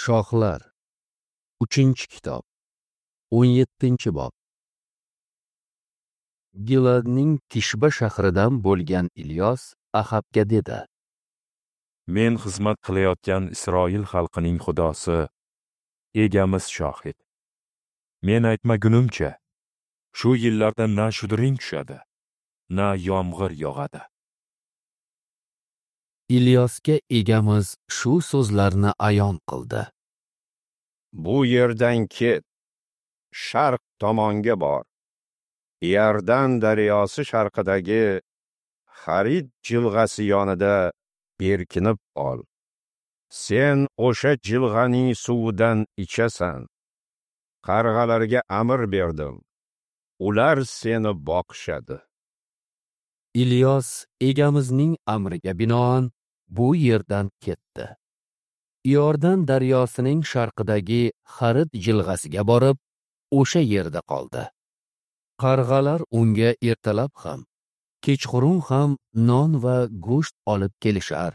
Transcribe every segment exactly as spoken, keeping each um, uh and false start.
Shohlar, uchinchi kitob, o'n yettinchi bob. Giladning Tishba shahridan bo'lgan Ilyos Ahabga dedi: Men xizmat qilayotgan Isroil xalqining Xudosi Egamiz shohid. Men aytmagunimcha, shu yillarda na shudring tushadi, na yomg'ir yog'adi. Ilyosga Egamiz shu so'zlarni ayon qildi: Bu yerdan ket, sharq tomonga bor. Iordan daryosi sharqidagi Xarid jilg'asi yonida berkinib ol. Sen o'sha jilg'aning suvidan ichasan. Qarg'alarga amr berdim. Ular seni boqishadi. Ilyos Egamizning amriga binoan bu yerdan ketdi. Iordan daryosining sharqidagi Xarid jilg'asiga borib, o'sha yerda qoldi. Qarg'alar unga ertalab ham, kechqurun ham non va go'sht olib kelishar.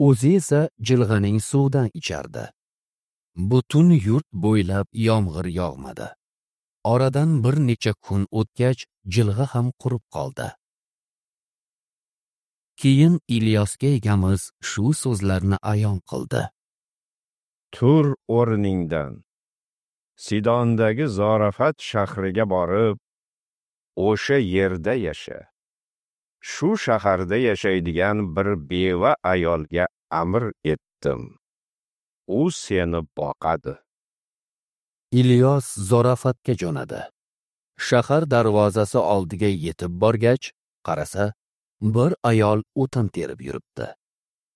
O'zi esa jilg'aning suvidan ichardi. Butun yurt bo'ylab yomg'ir yog'madi. Oradan bir necha kun o'tgach, jilg'a ham qurib qoldi. Keyin Ilyosga Egamiz shu so'zlarni ayon qildi: Tur o'rningdan. Sidondagi Zorafat shahriga borib, o'sha yerda yasha. Shu shaharda yashaydigan bir beva ayolga amr etdim. U seni boqadi. Ilyos Zorafatga jo'nadi. Shahar darvozasi oldiga yetib borgach, qarasa, bir ayol o'tin terib yuribdi.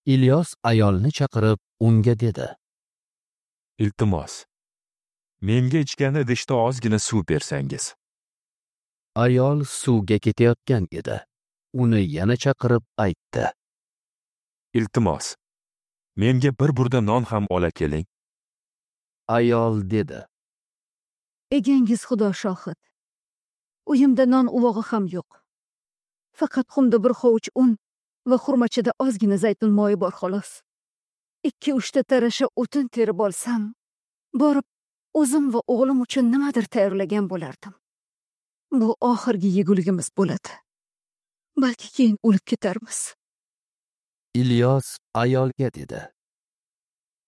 Ilyos ayolni chaqirib, unga dedi: Iltimos, menga ichgan idishda ozgina suv bersangiz. Ayol suvga ketayotgan edi. Uni yana chaqirib aytdi: Iltimos, menga bir burda non ham ola keling. Ayol dedi: Egangiz Xudo shohid. Uyimda non uvog'i ham yo'q. Faqat xumda bir hovuch un va xurmachada ozgina zaytun moyi bor xolos. Ikki uchta tarasha o'tin terib olsam, borib o'zim va o'g'lim uchun nimadir tayyorlagan bo'lardim. Bu oxirgi yeguligimiz bo'ladi. Balki keyin o'lib ketarmiz. Ilyos ayolga dedi: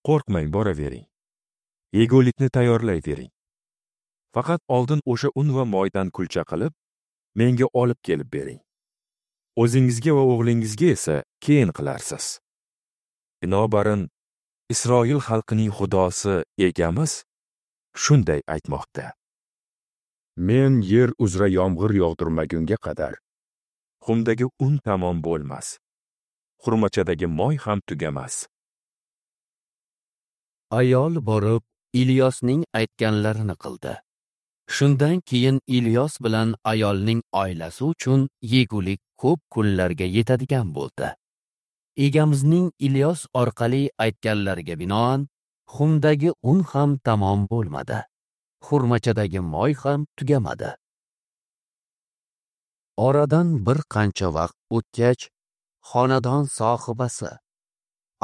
Qo'rqmang, boravering. Yegulikni tayyorlayvering. Faqat oldin o'sha un va moydan kulcha qilib, menga olib kelib bering. O'zingizga va o'g'lingizga esa keyin qilarsiz. Binobarin, Isroil xalqining Xudosi Egamiz shunday aytmoqda: Men yer uzra yomg'ir yog'dirmagunga qadar xumdagi un tamom bo'lmas, xurmachadagi moy ham tugamas. Ayol borib Ilyosning aytganlarini qildi. Shundan keyin Ilyos bilan ayolning oilasi uchun yegulik ko'p kunlarga yetadigan bo'ldi. Egamizning Ilyos orqali aytganlariga binoan, xumdagi un ham tamom bo'lmadi, xurmachadagi moy ham tugamadi. Oradan bir qancha vaqt o'tgach, xonadon sohibasi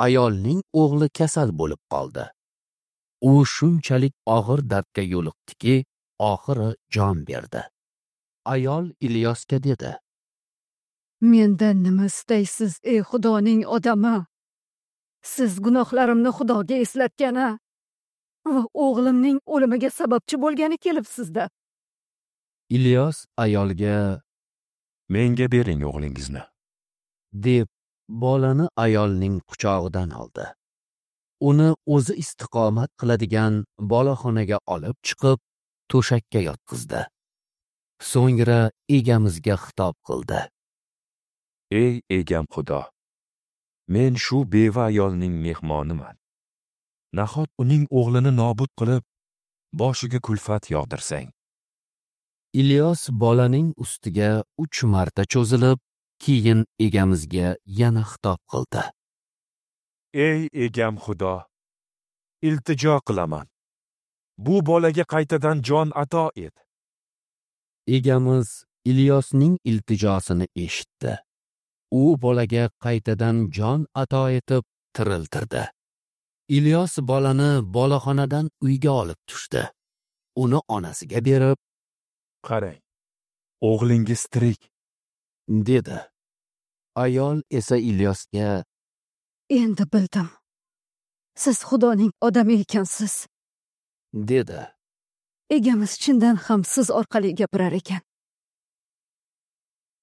ayolning o'g'li kasal bo'lib qoldi. U shunchalik og'ir dardga yo'liqdiki, oxiri jon berdi. Ayol Ilyosga dedi: Mendan nima istaysiz, ey Xudoning odami? Siz gunohlarimni Xudoga eslatgani va o'g'limning o'limiga sababchi bo'lgani kelibsiz-da. Ilyos ayolga: Menga bering o'g'lingizni, deb bolani ayolning quchog'idan oldi. Uni o'zi istiqomat qiladigan boloxonaga olib chiqib, to'shakka yotqizdi. So'ngra Egamizga xitob qildi: Ey Egam Xudo, men shu beva ayolning mehmoniman. Nahot uning o'g'lini nobud qilib, boshiga kulfat yog'dirsang? Ilyos bolaning ustiga uch marta cho'zilib, keyin Egamizga yana xitob qildi: Ey Egam Xudo, iltijo qilaman. Bu bolaga qaytadan jon ato et. Egamiz Ilyosning iltijosini eshitdi. U bolaga qaytadan jon ato etib tiriltirdi. Ilyos bolani boloxonadan uyga olib tushdi. Uni onasiga berib, Qarang, o'g'lingiz tirik, dedi. Ayol esa Ilyosga: Endi bildim. Siz Xudoning odami ekansiz, dedi. Egamiz chindan ham siz orqali gapirar ekan.